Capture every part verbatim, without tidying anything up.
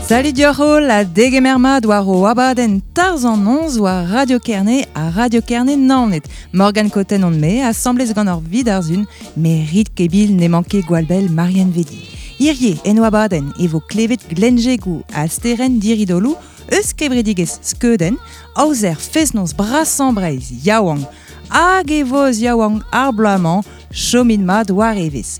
Salut dioc'h la degemer mat war o abadenn Tarzh an noz war Radio Kerne ha Radio Kerne Naoned. Morgane Cotten on me, asambles gant ur vid ar zun, me rit kebil ne manke gwallbell Marianne Vedi. Hirie en o abadenn e vo klevet Glenjegou ha Steren Diridolou eus kevredigez Skeuden, aozer fest-noz brasañ Breizh yaouank hag e voz yaouank ar bloaz-mañ chomin mat war evezh.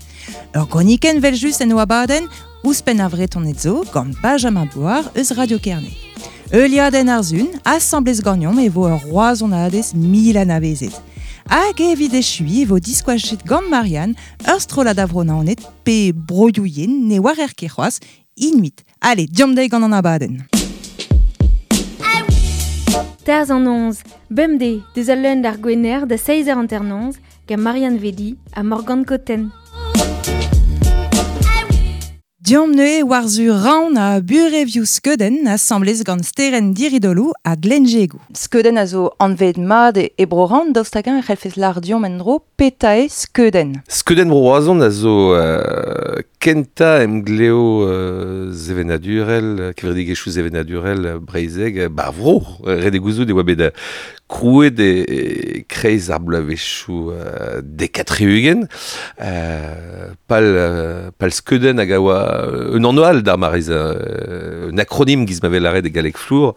Ur gronikenn vel just en o abadenn, ouzhpenn ar Vretoned zo gant Benjamin Boar eus Radio Kerne. Euliadenn ar zun, asambles ganeomp e vo ur roazhonadez mil anavezet. Hag evit echui e vo diskoachet gant Marianne ur strollad a vro Naoned pe broioù-yen ne war er ket c'hoazh, inuit. Allez, diomp dezhi gant an abadenn. Tarzh an noz, bemdez, deus al leun d'ar gwener da seizh eur hanternoz gant Marianne Vedi ha Morgane Cotten. Diomp neuze war-zu Raon ha burevioù Skeuden asambles gant Steren Diridolou ha Glenjegou. Skeuden a zo anvet mat e bro Raon, daoust hag-eñ e c'hellfes lar diomp en-dro petra eo Skeuden. Skeuden bro Roazhon a zo euh, kentañ emgleo euh, sevenadurel, kevredigezhioù sevenadurel breizhek, bar vro, ret eo gouzout e oa bet krouet e, e kreiz ar bloavezhioù euh, dek ha tri-ugent, euh, pal, euh, pal Skeuden hag a oa un anv all d'ar mariz, euh, un acronyme giz ma vel lâret e galleg flour,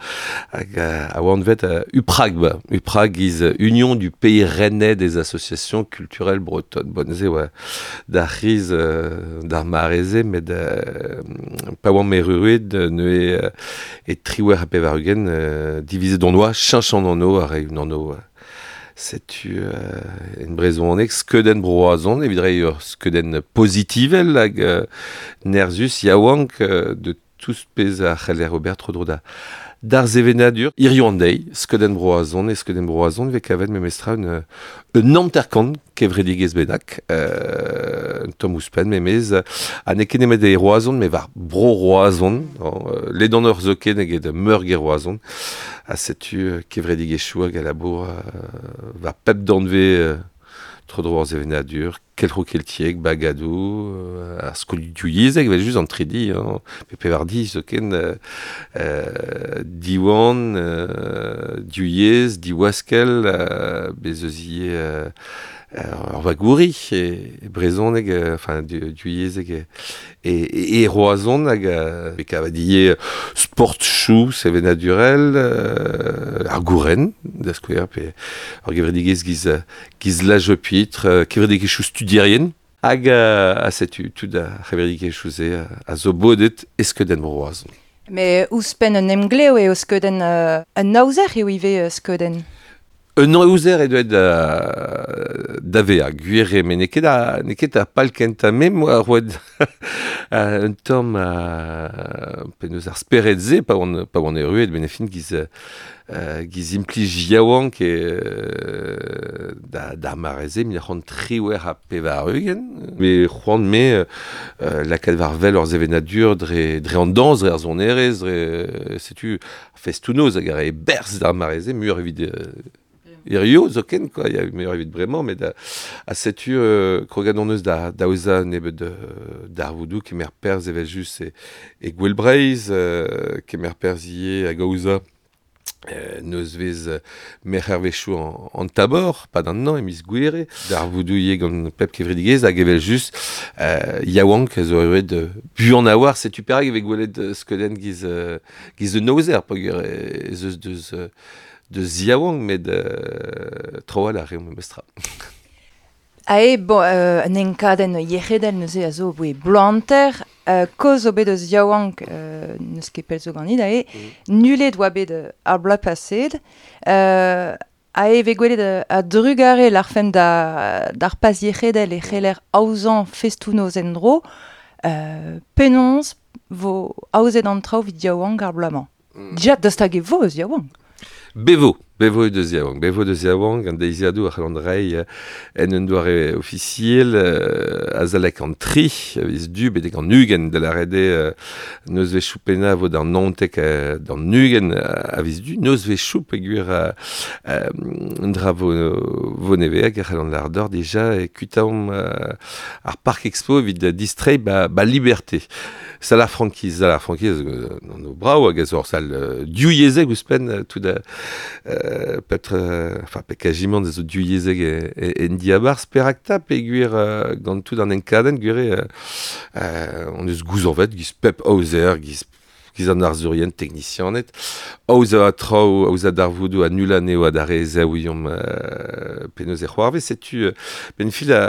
hag a oa anvet euh, UPRAGB, UPRAG giz Union du Pays Rennais des Associations Culturelles Bretonnes. Bon, ze oa d'ar c'hiz euh, d'ar mareze, met euh, pa oan meruet neuze euh, e triwec'h ha pevar-ugent euh, divizet on oa, cheñch an anv ar re un anv euh, setu euh, en brezhoneg Skeuden bro Roazhon, evit reiñ ur skeuden pozitivel hag euh, nerzus yaouank euh, de tous pezh a c'heller ober tro-dro da d'ar sevenadur hiziv an deiz, Skeuden bro Roazhon e Skeuden bro Roazhon vez kavet memestra un, un hanter-kant kevredigezh bennak, euh, un tamm ouzhpenn memez, ha n'eo ket nemet e Roazhon, met war bro Roazhon, euh, ledan ur zoken eget meurgêr Roazhon, ha setu kevredigezhioù hag a labour euh, war pep danvez euh, tro-dro ar sevenadur, kelc'ho keltiek, bagadou, euh, ar skolioù yezhek, evel just an tridi, hein, pe pevar di zoken, euh, euh, Diwan, euh, div yezh, diwaskell, euh, bez eus ivez euh, ur vagouri e, e brezhoneg, euh, enfin div yezhek e, e, e, e Roazhon hag euh, e kavat ivez sport chou sevenadurel, euh, ar gouren, da skouer, pe ur gevredigezh giz, giz L'Âge Pitre, euh, kevredigezhioù studierien, hag euh, a setu tout ar c'hevredigezhioù se a zo bodet e Skeuden bro Roazhon. Mais ouzhpenn un emglev eo Skeuden euh, un aozer eo ivez Skeuden. Un aozer eo deuet da, da vezañ, gwir eo, met n'eo ket a, n'eo ket ar pal kentañ me moa roet un tamm uh, penaos ar spered-se pa oan, pa oan erruet ben e fin giz, uh, giz implij yaouank e uh, da, d'ar mare-se mil c'hant triwec'h ha pevar-ugent. Me c'hoant me uh, lakaat war wel ur sevenadur dre, dre an dañs, dre ar sonerezh, dre, setu festoù-noz hag a rae berzh d'ar mare-se, muioc'h evit euh, hirio zoken, quoi, ya muioc'h evit bremañ, met a, a setu euh, krogat hon eus da, da aozañ nebeut euh, darvoudoù kemer perzh evel just e, e Gouel Breizh, euh, kemer perzh ivez hag aozañ euh, nozvezh merc'hervezhioù an, an tabor, pad an hañv, e miz Gouere, darvoudoù ivez gant pep kevredigezh hag evel just euh, yaouank a zo erruet euh, buan a-walc'h, setu perak e vez gwelet Skeuden giz, euh, giz un aozer, peogwir ez eus deus euh, deus yaouank, met euh, tro-walc'h a reomp memestra. Ae, bon, euh, un enkadenn yec'hedel neuze a zo boe bloaz hanter, euh, kaoz zo bet eus yaouank euh, n'eus ket pell zo ganit, ae, mm. nullet oa bet ar bloaz paset, euh, ae vez gwelet a drugare larfemp da, d'ar pas yec'hedel e c'heller aozañ festoù-noz en-dro, euh, penaos vo aozet an traoù evit yaouank ar bloaz-mañ. Mm. Dija, daoust hag e vo eus yaouank. Bevo. Bevo deus yaouank, bevo deus yaouank, an deiziadoù a c'hall rei en un doare ofisiel euh, azalek an tri, a viz du betek an ugen de la rede euh, neus vez choupena vo d'an nantek euh, d'an ugen a viz du, neus vez choup e gwir euh, euh, dra vo, vo neve hag a c'hall an lardor déjà e kutaom euh, ar Parc Expo evit distrei ba, ba liberté. Sal ar frankiz, sal ar frankiz, euh, an o brao hag a zo ur sal euh, diou yezeg ouzhpenn euh, tout da euh, petre, euh, enfin, pe kajiment zo diou yezeg e, e, en diabarz perakta pe gwir euh, gant tout an enkadenn gwir euh, euh, on eus gouzañvet giz pep aozer, giz giz an arzurien technicianet, aoz a traoù, aoz a darvoudoù a nul anezho a dare zaouiomp euh, penaos e c'hoarvez, setu euh, ben fil a,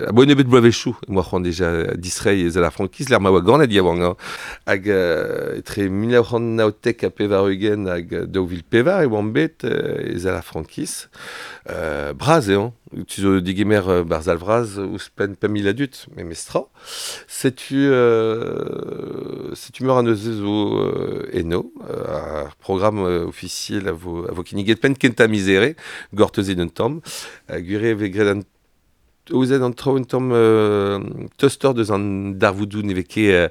a bo nebeut bloavezhioù, moa c'hoant déjà distrei ez a la frankiz, l'ar ma oa ganet yaouank, hein, hag euh, etre mil nav c'hant naontek ha pevar-ugent hag daou vil pevar e oan bet euh, ez a la frankiz. Euh, braz eo, tu zo digemer euh, barzh al vraz ouzhpenn pemp mil a dud, memestra. Setu, euh, setu meur a neuze zo euh, eno, euh, ar programme euh, ofisiel a vo, a vo kinniget penn kentañ mizere, gortozet un tamm, uh, gwir eo graet an aozet an traoù un tamm euh, toster deus an darvoudoù ne vez ket euh,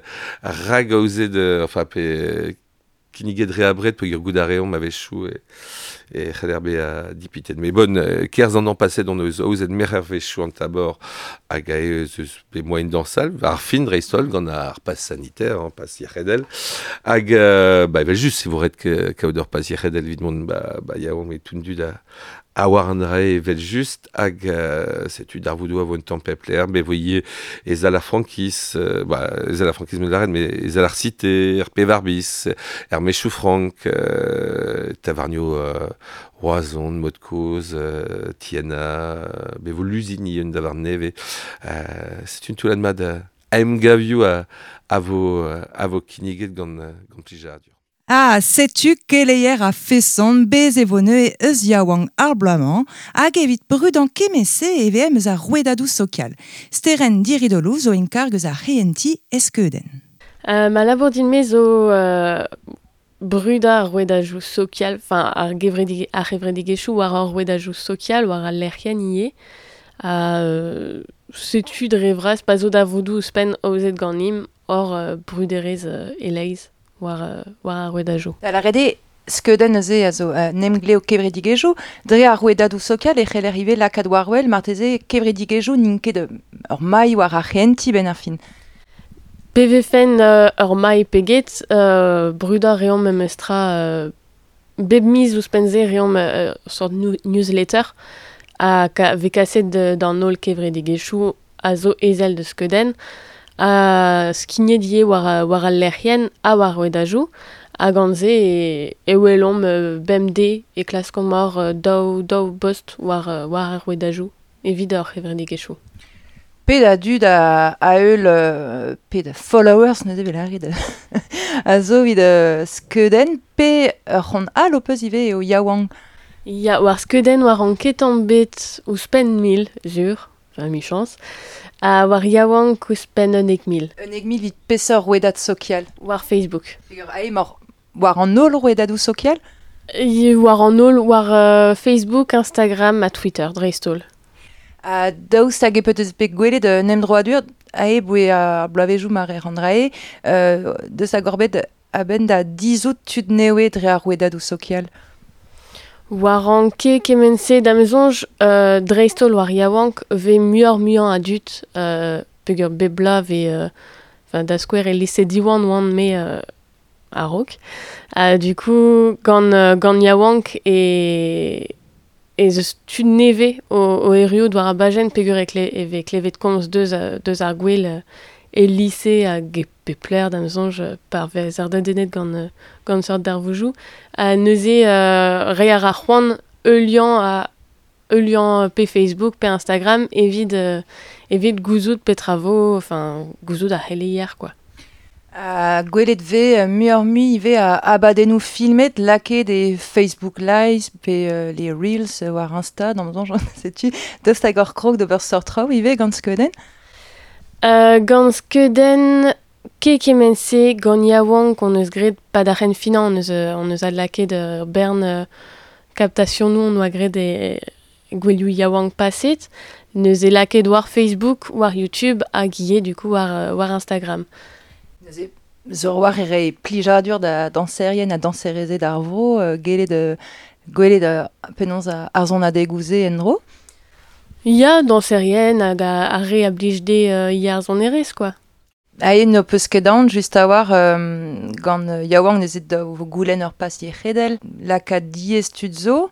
rag aozet, euh, enfin, pe kinniget re abred peogwir goût a reomp a-wechoù e, e c'haller bezañ dipitet. Mais bon, euh, kerzh an an paset on eus aozet merc'her wechoù an tabor hag a eus eus pe moaien dañsal, ar fin dreist-holl gant ar pass sanitaire, hein, pass yec'hedel. Hag, euh, ba, evel just, e vo ret ke, kaout ur pass yec'hedel evit mont, ba, ba, yaouank e toundu da a war an dra evel just hag euh, setu darvoudoù a vo un tamm pep lec'h, bet vo ivez ez a la frankiz, euh, ba, ez a la frankiz meus lâret, mais ez a ar cité, er pevar bis, er Mechou Frank, euh, tavarnioù euh, Roazhon, Modkoz, euh, Tiana, bet vo Lusigny un davarn nevez. Euh, setu un toullad mat a emgavioù a, a vo, a vo kinniget gant, gant plijadur. Ah, setu keleier a feson bez e vo neuze eus yaouank ar bloaz-mañ hag evit brudañ kement-se e vez eus ar rouedadoù sokial. Steren Diridolou zo en karg eus ar c'hehentiñ e skeudenn. Euh, ma labour din-me zo euh, brudañ ar rouedadoù sokial, enfin ar gevredige, ar c'hevredigezhioù war ar rouedadoù sokial war al lec'hienn ivez. Ha euh, setu dre vras pa zo darvoudoù ouzhpenn aozet ganimp hor euh, bruderezh euh, e-leizh war, euh, war ar rouedadoù. Da lâret eo skeudenn neuze a zo euh, nemgleo kevredigezhioù, dre ar rouedadoù sokial e c'heller ivez lakaat war-wel marteze kevredigezhioù n'int ket ur mailh war ar c'hehentiñ benn ar fin. Pe vefen euh, ur mailh pe get, euh, brudañ reomp memestra euh, bep miz ouzhpenn-se reomp euh, ur sort new- newsletter a ka, vez kaset d'an holl kevredigezhioù a zo ezel deus skeudenn, a skignet ivez war, war al lec'hienn ha war rouedadoù, hag gant se e, e welomp euh, bemdez e klaskomp hor euh, daou, daou bost war, euh, war ar rouedadoù evit ar c'hevredigezhioù. Pet a dud a, a heul, euh, pet a followers neuze vel lâret a zo evit euh, skeudenn, pe ur c'hont all ho peus ivez eo yaouank. Ya, war skeudenn war an ketan bet ouzhpenn mil, sur, enfin michañs, ha war yaouank ouzhpenn unnek mil. Unnek mil evit peseurt rouedad sokial? War Facebook. Peogwir ae emaoc'h war an holl rouedadoù sokial? E, war an holl, war euh, Facebook, Instagram ha Twitter, dreist-holl. Ha daoust hag e peus bet gwelet un emdroadur ae boe ar bloavezhioù mar e randrae, euh, deus hag orbet a-benn da dizout tud newe dre ar rouedadoù sokial? War an ket kement-se da ma soñj, euh, dreist-holl war yaouank vez muioc'h muiañ a dud, euh, peogwir bep bloaz vez, euh, enfin, da skouer e lise Diwan oan me euh, a-raok. Ha du coup, gant, euh, gant yaouank e, ez eus tud nevez o, o erruout war ar bajenn peogwir e kle, e vez klevet komz deus, deus ar gwel, euh, e lise hag e pep lec'h da ma soñj par vez ar dedennet gant, euh, gant seurt darvoudoù. Ha neuze, euh, reiñ a ra c'hoant heuliañ a heuliañ pe Facebook pe Instagram evit, euh, evit gouzout petra vo, enfin, gouzout ar c'heleier, quoi. Ha gwelet vez euh, muioc'h-mui ivez a abadennoù filmet lakaet e Facebook Live pe euh, les Reels war Insta, d'am soñj, setu daoust hag ur krog d'ober seurt traoù ivez gant skeudenn? Euh, gant skeudenn ket kement-se gant yaouank on eus graet pa d'ar c'henfinañ on eus, on eus adlakaet ur bern, euh, Kaptasionoù on oa graet e gwelioù yaouank paset, neuze lakaet war Facebook, war YouTube hag ivez du coup war, war Instagram. Neuze zor war e re plijadur da danserien ha danserezed ar vro, uh, gelet uh, gwelet uh, penaos ar zon adegouze en-dro? Ya, danserien hag ar re a blij de uh, ya ar zonerez, quoi. Ae no peus ket aon just a war um, gant uh, yaouank nezet da vo goulenn ur pas yec'hedel, lakaat diez tud zo,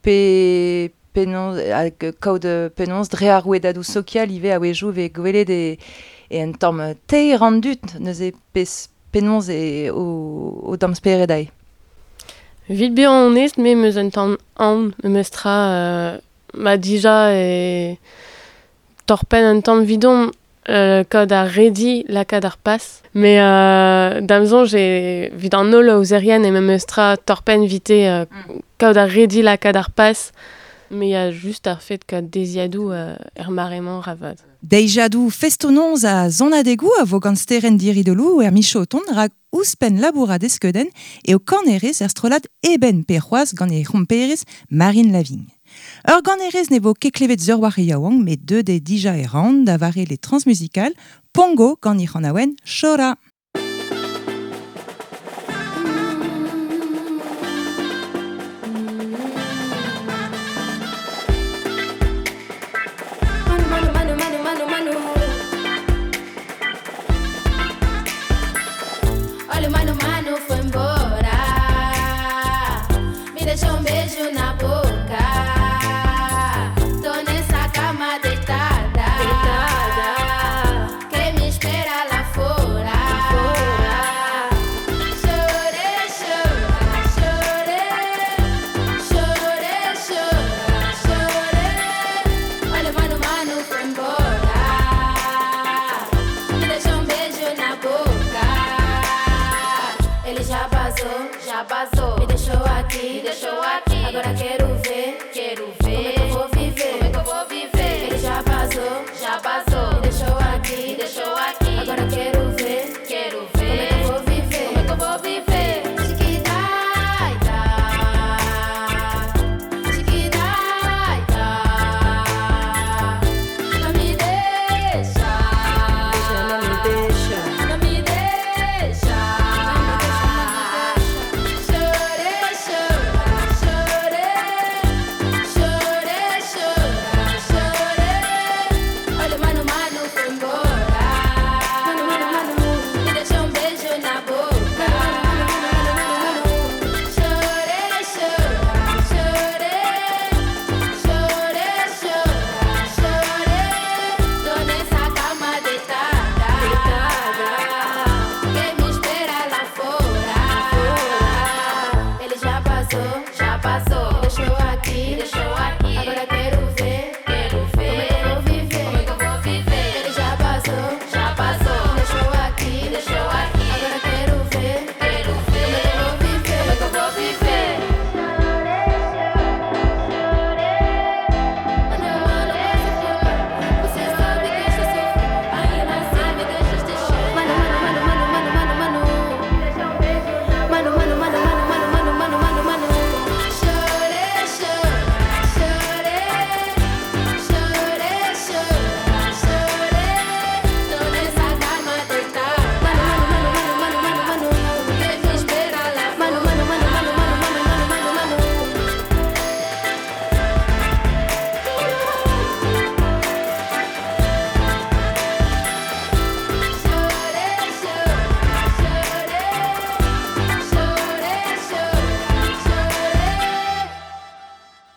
pe penaos, hag kaout penaos dre ar rouedadoù sokial ivez a-wezhioù vez gwelet e, e un tamm teir an dud neuze pez penaos e o, o tamm spered ae. Vit bezañ onest, me meus un tamm aon, me meus tra euh, ma dija e torpenn un tamm vidon euh, kaout ar redi lakaat ar pas. Mais euh, da'm soñj e vit an holl aozerien e me meus tra torpenn vite euh, mm. kaout ar redi lakaat ar pas. Mais il y a juste ar fet kaout deziadoù euh, er maremañ ravad. Deiziadoù festonoz a zonadegou a vo gant steren diridolou er michoton rak ouzhpenn labourat eskeudenn eo kanerez er strollad eben pe c'hoazh gant e c'homperez Marine Lavigne. Ur ganerez ne vo ket klevet zeur war e yaouank met deut eo dija e ran da vare les transmusicales Pongo gant e c'hanaouenn Chora.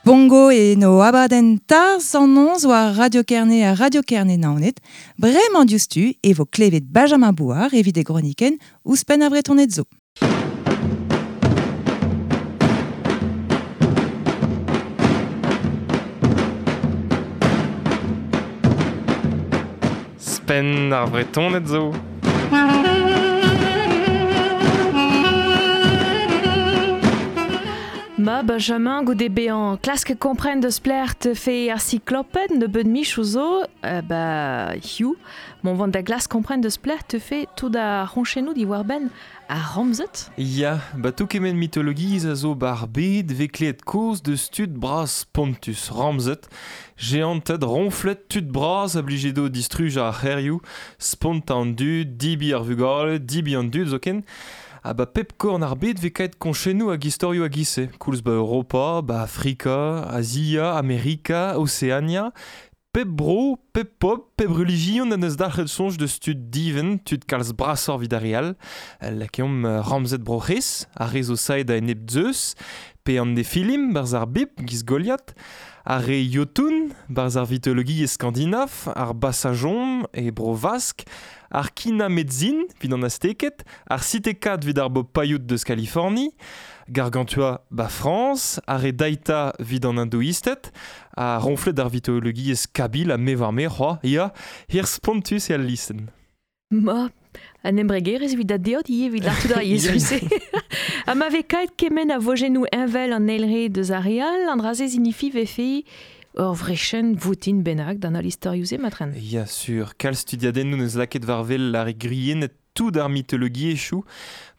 Bongo e no abadenn tarz an onz war Radio Kerne ha Radio Kerne Naoned, bremañ diouzhtu e vo klevet Benjamin Bouard evit e gronikenn ouzhpenn ar Bretoned zo. Spenn ar Bretoned zo. Ma Benjamin goude bean klask kompren deus pler te fe ar cycloped ne beud mich zo euh, ba hiu mon vant da glas kompren deus pler te fe tout a ronchenou di war ben a ramzet. Ya, ba tout kemen mythologiz a zo bar bed vekleet koz deus tud braz pontus ramzet, géanted ronflet tud braz a blijedo distruj ar c'herioù, spont an dud, dibi ar vugale, dibi an dud zoken. Ah ba pep korn ar bed ve kaet konchennou hag istorioù hag ise. Koulz ba Europa, ba Afrika, Azia, Amerika, Oceania. Pep bro, pep pop, pep religion an eus dalc'het soñj deus tud diven, tud kalz brasoc'h evit ar re all. Lakeomp ramzet bro C'hres, ar re zo saet a enep Zeus, pe an Nephilim, barz ar Bib, giz Goliath, ar re Jotun, barz ar vitologiezh skandinav, ar Basajon e bro Vask, ar Kina-Medzin, vid an Azteked, ar Sitekat vid ar bo Paiout deus Californie, Gargantua ba France, ar re Daita vid an Hindoisted, a ronflet ar vitologiezh Kabil a me war me c'hoa, ya, hir spontus e al listen. Ma, an embregerez evit da deot ivez evit ar tout ar yezh. Ha ma ve kaet kemen a vojennoù envel an eilre deus ar re all, an dra-se zinifi vefe ur vrechen voutin bennak d'an al istorioù-se matren. Ya sur, kalz studiadennoù neus lakaet war wel ar griennet tout ar mythologiezhioù,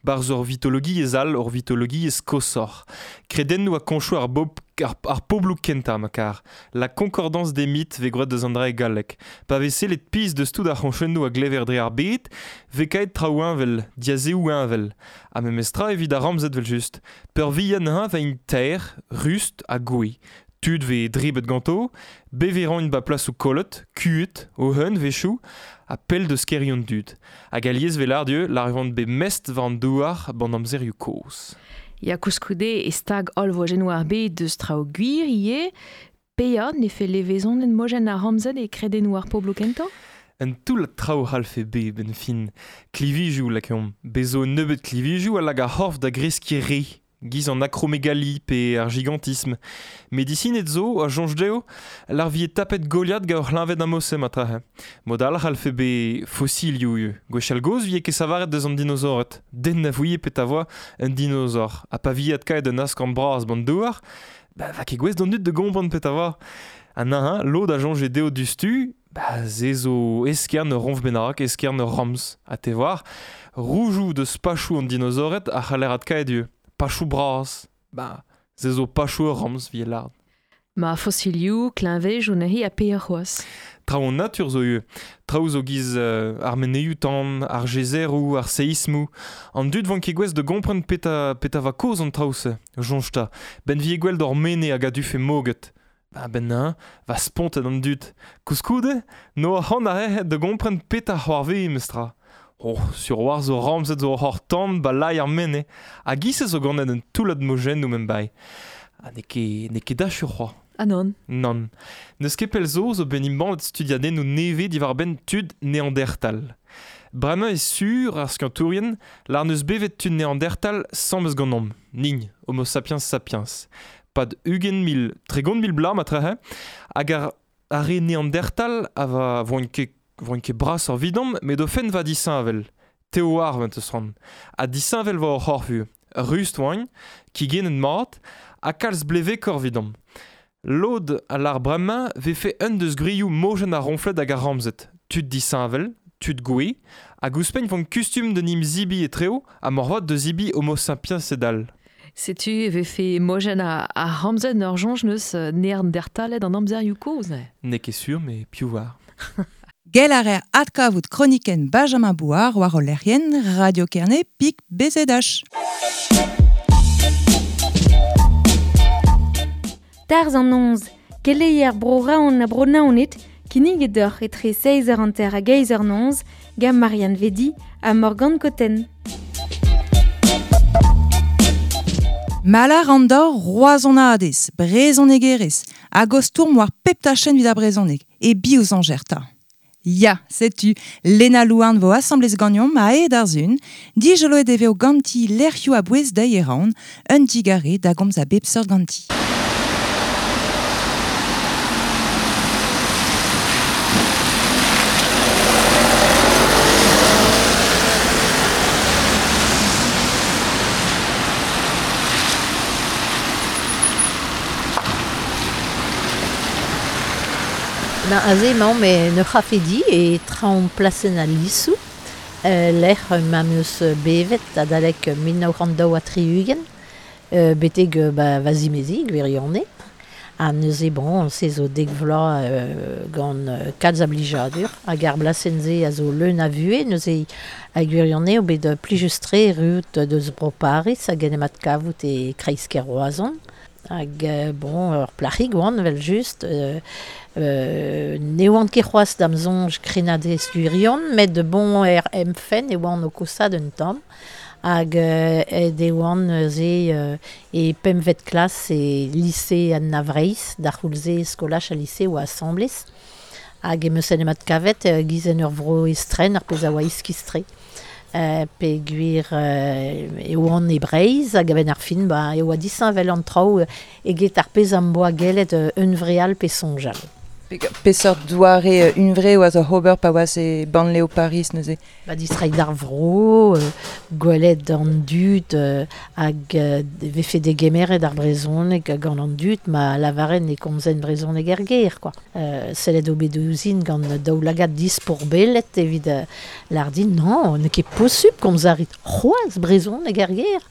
barz ur vitologiezh all, ur vitologiezh kosoc'h. Kredennoù a konchoù ar, bob, ar, ar pobloù kentañ ma kar. La concordance des mythes ve gwraet deus an dra e galleg. Pa vez sellet piz deus tout ar c'honchennoù a glever dre ar bed, ve kaet traoù envel, diazeoù envel. Ha memestra evit ar ramzet vel just. Peurvian ha va int ter, rust ha goui. Tud ve dribet ganto, beveran ba plas ou kolot, kuet, o hun vechou, a pell deus kerion dud. Hag aliez vel ar dieu, l'arvant be mest war an douar ban amzerioù kozh. Ya koulskoude e stag holl vojennoù ar bed deus traoù gwir ivez, peya ne fe levezon en mojenn ar ramzet e kredennoù ar pobloù kentañ? Un toull traoù c'hallfe be ben fin. Klivijou lakeomp. Bezo nebeut klivijou a lag ar c'horf da greskiñ re. Giz an akromegali pe ar gigantisme. Medicinet zo, a soñj dezho, lar vie tapet Goliath gant ur c'hleñved amose matrahe. Mod all c'hallfe be fosilioù eo. Gwechall gozh vie ket savaret deus an dinosaored. Den na vouie pet a voa un dinosaur. Ha pa vie adkaet un askorn bras ban douar, ba va ket gouest d'an dud de gompren pet a voa. Ha naha, lod a soñje dezho dustu, ba ze zo eskern ur ronf bennak, eskern ur ramz. Ha te war, roujoù deus pachoù an dinosaored a c'haller adkaet eo. Pachoù bras, ba, ze zo pachoù ur ramz vie lard. Ma fosilioù, kleñvej o neuze ha pe ar c'hoazh. Traoù an natur zo eo. Traoù zo giz euh, ar meneioù tan, ar gezeroù, ar seismoù. An dud van ket gouest de gompren peta, peta va koz an traoù-se. Soñj ta. Ben vie gwell d'or mene hag a dufe moget. Ba ben na, va spontet an dud. Koulskoude, no ar c'hant a rehet de gompren peta c'hoarve mestra. Oh, sur war zo ramzet zo hor tan ba lai ar mene. Hag ise zo ganet un toullad mojennoù mem bai. Ha n'eo ket, n'eo ket dachur c'hoa. Ah non. Nann. N'eus ket pell zo zo ben imbannet studiadennoù nevez diwar-benn tud Neandertal. Bremañ eo sur ar skiantourien lar n'eus bevet tud Neandertal sammes ganeomp. Nign, Homo sapiens sapiens. Pad ugent mil, tregont mil bloaz matrehe, hag ar, ar re Neandertal a va voint ket voint ket bras ar vidomp, met o fenn va disheñvel. Teo ar vent eus ran. Ha disheñvel va hor c'horf eo. Rust oain, kigennet mat, ha kalz blevekoc'h vidomp. Lod a lar bremañ vefe un deus gwrioù mojenn ar ronflet hag ar ramzet. Tud disheñvel, tud gouez, hag ouzhpenn vont kustum de nim zibi etreo ha morvat de zibi homo sapiens sedal. Setu e vefe mojenn a, a ramzet ur soñj neus Neandertaled an amzerioù kozh, ne? N'eo ket sur, met piv war. Gell a reer adkavout kronikenn Benjamin Bouard war o lec'hienn Radio Kerne pik B Z H. Tarzh an noz, keleier bro Raon ha bro Naoned, kinniget deoc'h etre seizh eur hanter hag eizh eur noz, gant Marianne Vedi ha Morgane Cotten. Malar an dor roazhonadez, brezhonegerez, hag o stourm war pep tachenn evit ar brezhoneg, e bioù añjer ta. Ya, setu, Lena Louarn vo asamblez ganeomp a ed ar zun, dijoloet e veo ganti lec'hioù a-bouez dezhi e Raon, un digare da gomz a bep seurt ganti. Ben, aze emaomp e ur c'hafedi e traoñ plasenn al Lisoù, euh, lec'h ma 'm eus bevet adalek mil nav c'hant daou ha tri-ugent, euh, betek euh, ba, va zimezi, gwirionez. Ha neuze bon, se zo dek vloaz euh, gant euh, kalz a blijadur, hag ar blasenn-se a zo leun a vuhez, neuze hag gwirionez eo bet plijus-tre erruout deus bro Paris hag en em adkavout e kreiz-kêr Roazhon. Hag euh, bon, ur plac'hig oan, vel just, euh, euh, ne oan ket c'hoazh da'm soñj krennadez gwirion, met bon er em fenn e oan o kosaat un tamm. Hag euh, aet e oan neuze euh, e pempvet klas e lise Anna Vreizh, d'ar c'houlz-se skolaj ha lise oa asambles. Hag em eus en em adkavet euh, giz en ur vro estren, ar pezh a oa iskis-tre. Euh, peogwir euh, e oan e Breizh hag a-benn ar fin ba, e oa disheñvel an traoù eget ar pezh am boa gellet euh, hunvreal pe soñjal. Peseurt doare hunvre oas oc'h ober pa oas e bannlev Paris neuze? Ba distreiñ d'ar vro, euh, gwelet an dud euh, hag euh, vefe degemeret ar brezhoneg gant an dud ma lavaren e komzen brezhoneg er gêr, quoi. Euh, sellet eo bet ouzhin gant daoulagad dispourbellet evit euh, lâr din, non, n'eo ket posupl komz a rit c'hoazh brezhoneg er gêr.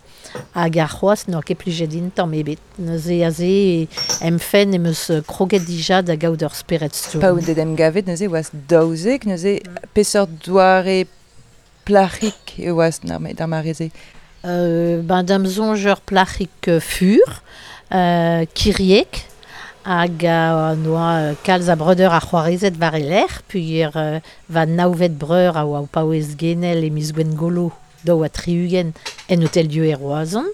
Hag ar c'hoazh n'oa ket plijet din tamm ebet. Neuze aze em fenn em eus kroget dija da gaout ur spered stourm. Pa out en em gavet neuze oas daouzek, neuze peseurt doare plac'hig e oas d'ar mare-se? Euh, ben da'm soñj ur plac'hig fur, euh, kiriek, hag a noa kalz a breudeur a c'hoarezed war e lerc'h, peogwir euh, va navet breur a oa o paouez genel e miz Gwengolo daou ha tri-ugent en Hôtel Dieu e Roazhon,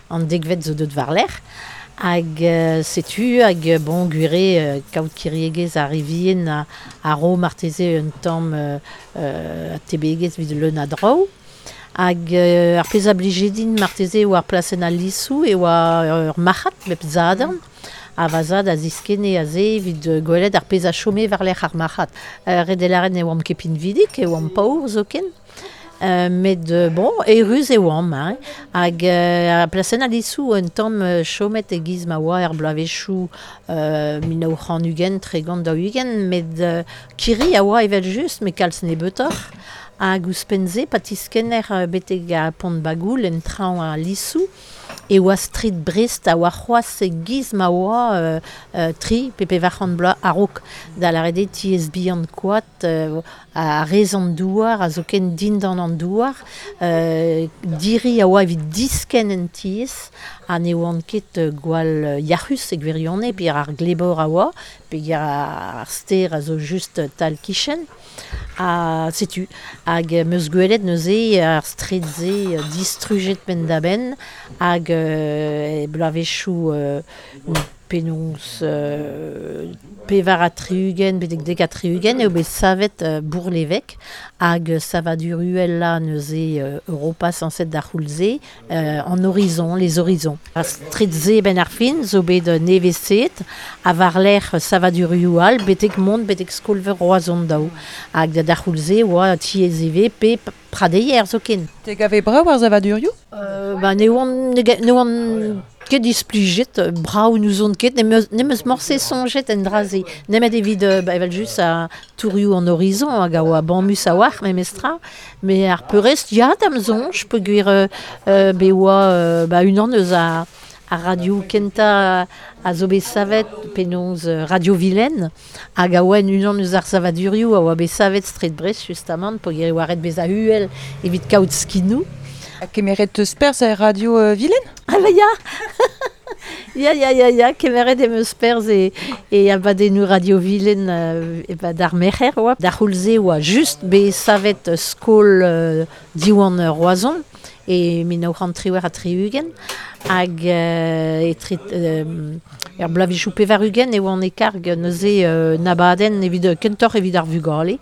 an dekvet zo deut war-lerc'h. Hag euh, setu, hag bon, gwir eo euh, kaout kiriegezh ar re vihan a, a ro marteze un tamm euh, euh, atebegezh evit leun a draoù. Hag euh, ar pezh a blije din marteze oa ar plasenn al Lisoù e oa ur marc'had bep sadorn. Ha va zad a ziskenne aze evit gwelet ar pezh a chome war-lerc'h ar marc'had. Euh, ret eo lâret ne oamp ket pinvidik, e oamp paour zoken. Euh, met euh, bon, eürus e oamp, hein. Hag euh, ar plasenn al Lisoù un tamm euh, chomet e-giz ma oa er bloavezhioù euh, mil nav c'hant ugent, tregont daou-ugent, met euh, kirri a oa evel just, met kalz nebeutoc'h. Hag ouzhpenn-se, pa tiskenner euh, betek ar pont Bagoul en traoñ al Lisoù, e oa street Brest a oa c'hoazh e-giz ma oa euh, euh, tri pe pevar c'hant bloaz a-raok. Da lâret eo tiez bihan koad euh, a rez an douar, a zoken dindan an douar, euh, diri a oa evit diskenn en tiez, ha ne oant ket gwall yac'hus e gwirionez, pe ar glebor a oa, pe ar stêr a zo just tal kichen. Ha setu, hag 'm eus gwelet neuze ar street-se distrujet penn-da-benn, hag euh, e bloavezhioù euh, penaos euh, pevar ha tri-ugent, betek dek ha tri-ugent, eo bet savet euh, Bourg-l'Évêque, hag savadur uhelañ neuze euh, Europa sañset d'ar c'houlz-se, euh, en horizon, les horizons. Ar street-se ben ar fin zo bet nevesaet, ha war-lerc'h savadurioù all, betek mont, betek skol-veur Roazhon daou. Hag d'ar c'houlz-se oa tiez ivez pe pradeier zoken. Te gave brav ar savadurioù? Euh, ba, ne oan, ne, ne oan ket displijet, brav n'ouzon ket, n'em eus, n'em eus morse soñjet en dra-se. Nemet evit, ba, evel just a tourioù an horizon, hag a oa bamus a-walc'h memestra, met ar peurrest, ya, da'm soñj, peogwir euh, euh, be oa euh, ba, unan eus a, a radio kentañ a zo bet savet penaos Radio Vilaine, hag a oa unan eus ar savadurioù a oa bet savet street Brest justamant, peogwir e oa ret bezañ uhel evit kaout skinoù. Ha kemeret teus perzh er Radio euh, Vilaine? Ah ba ya. Ya, ya, ya, ya, kemeret em eus perzh e, e abadennoù Radio Vilaine euh, e ba d'ar merc'her oa. D'ar c'houlz-se oa just bet savet skol euh, Diwan Roazhon e mil nav c'hant triwec'h ha tri-ugent, hag euh, etre euh, er bloavezhioù pevar-ugent e oan e karg neuze euh, n'abadenn evit kentoc'h evit ar vugale,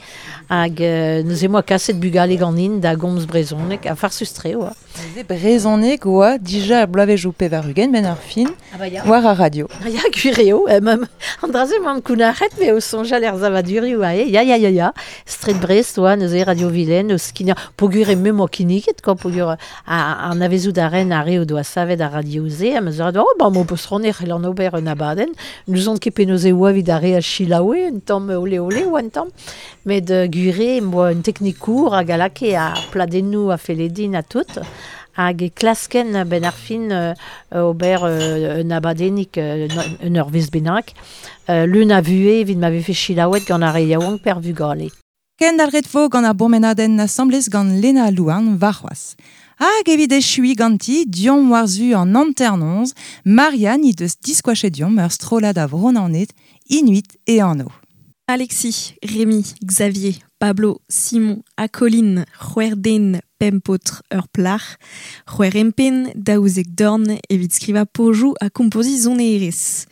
hag euh, neuze moa kaset bugale ganin da gomz brezhoneg, ha farsus-tre oa. Neuze brezhoneg oa dija er bloavezhioù pevar-ugent ben ar fin, Ah ba ya. war ar radio. Ah ya, gwir eo, eh, ma, an dra-se m'am kounac'het, me o soñjal er savadurioù ae, ya, ya, ya, ya, Street Brest oa neuze Radio Vilaine, o skignañ, peogwir e me moa kinniget, quoi, peogwir a, an avezout a ren a re o doa savet a radio-ze, a meus a oh, ba, mo peus ronne c'hell an ober un abadenn, nous on ket penaos e oa evit ar re a chilaoue, un tamm ole ole oa un tamm, met uh, gure moa un teknikour hag a lake a pladennoù a feledin a tout, hag e klasken ben ar fin euh, ober euh, un abadennik euh, un ur vez bennak, euh, l'un a vue evit ma vefe chilaouet gant ar re yaouank per vugale. Ken d'al vo gant ar bourmenadenn asamblez gant Lena Louarn varc'hoazh. Hag evit echui ganti, diom warzu an hanter-noz, Marianne he deus diskoachet diom ur strollad a Vro-Naoned, Inuit e anv. Alexis, Rémi, Xavier, Pablo, Simon, Acolin, C'hwerden, Pempotr, ur plac'h, c'hwer empen, daouzek dorn, evit skriva pojou a kompozi zonerez.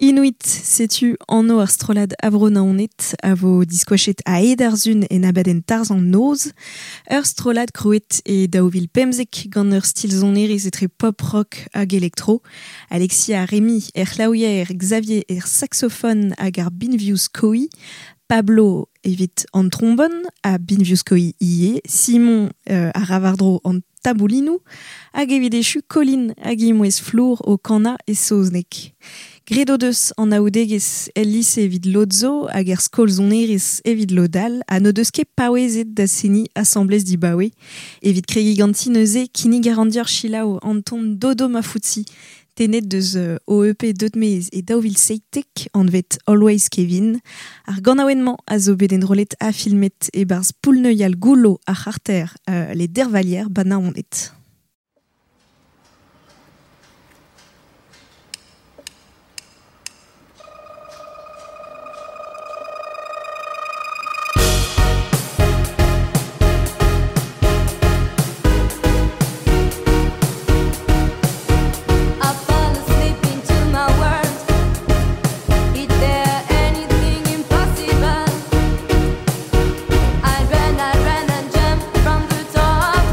Inuit, setu anv ar strollad a Vro-Naoned, a vo diskoachet a ed ar zun en abadenn tarzh an noz, ur strollad krouet e daou vil pemzek gant ur stil zonerez etre pop rock hag elektro. Alexis ha Rémi er c'hlaouier, Xavier er saxophone hag ar binvioù skoiñ, Pablo evit an trombone a binvioù skoiñ ivez, Simon euh, a ravardro an taboulinoù, hag evit echu Colin hag imouez flour o kana e saozneg. Graet o deus an aoudegezh el lise evit lod zo hag er skol sonerezh evit lod all, ha n'o deus ket paouezet da seniñ asambles dibaoe. Evit kregiñ ganti neuze kinnig a ran deoc'h selaou an ton Dodo Mafutsi, tennet deus euh, o E P deut mez e daou vil seitek anvet Always Kevin. Ar ganaouenn-mañ a zo bet enrollet ha filmet e-barzh poull-neuial goullo ar c'harter euh, les Dervallières ba Naoned. I fall asleep into my world. Is there anything impossible? I ran, I ran and jumped from the top.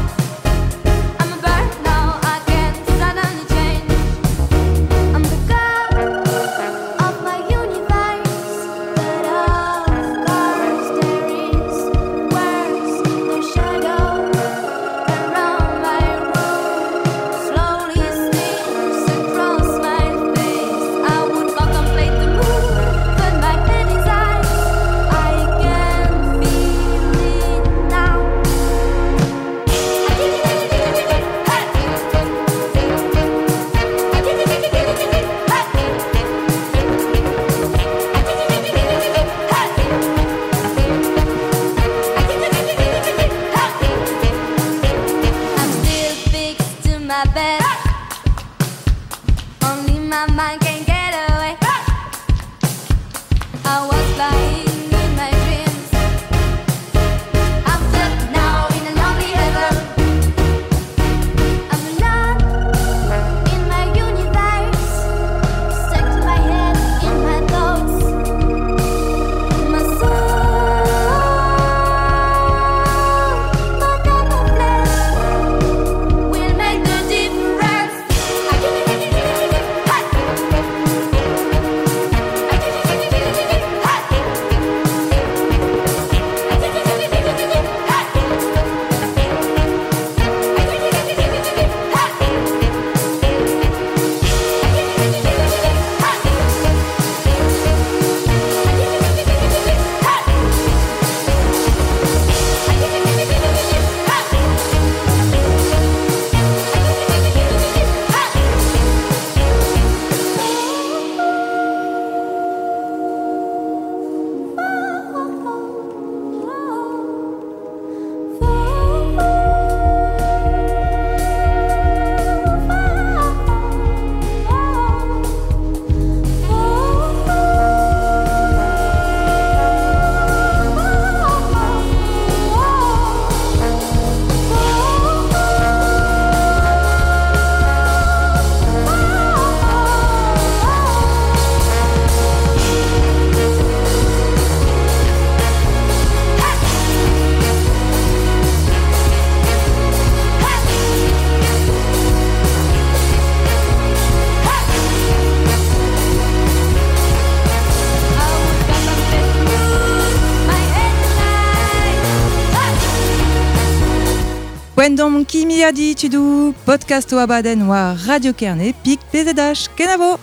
Poent d'omp kimiadi tudou, podcast o abadenn war Radio Kerne, pik P Z H, kenavo!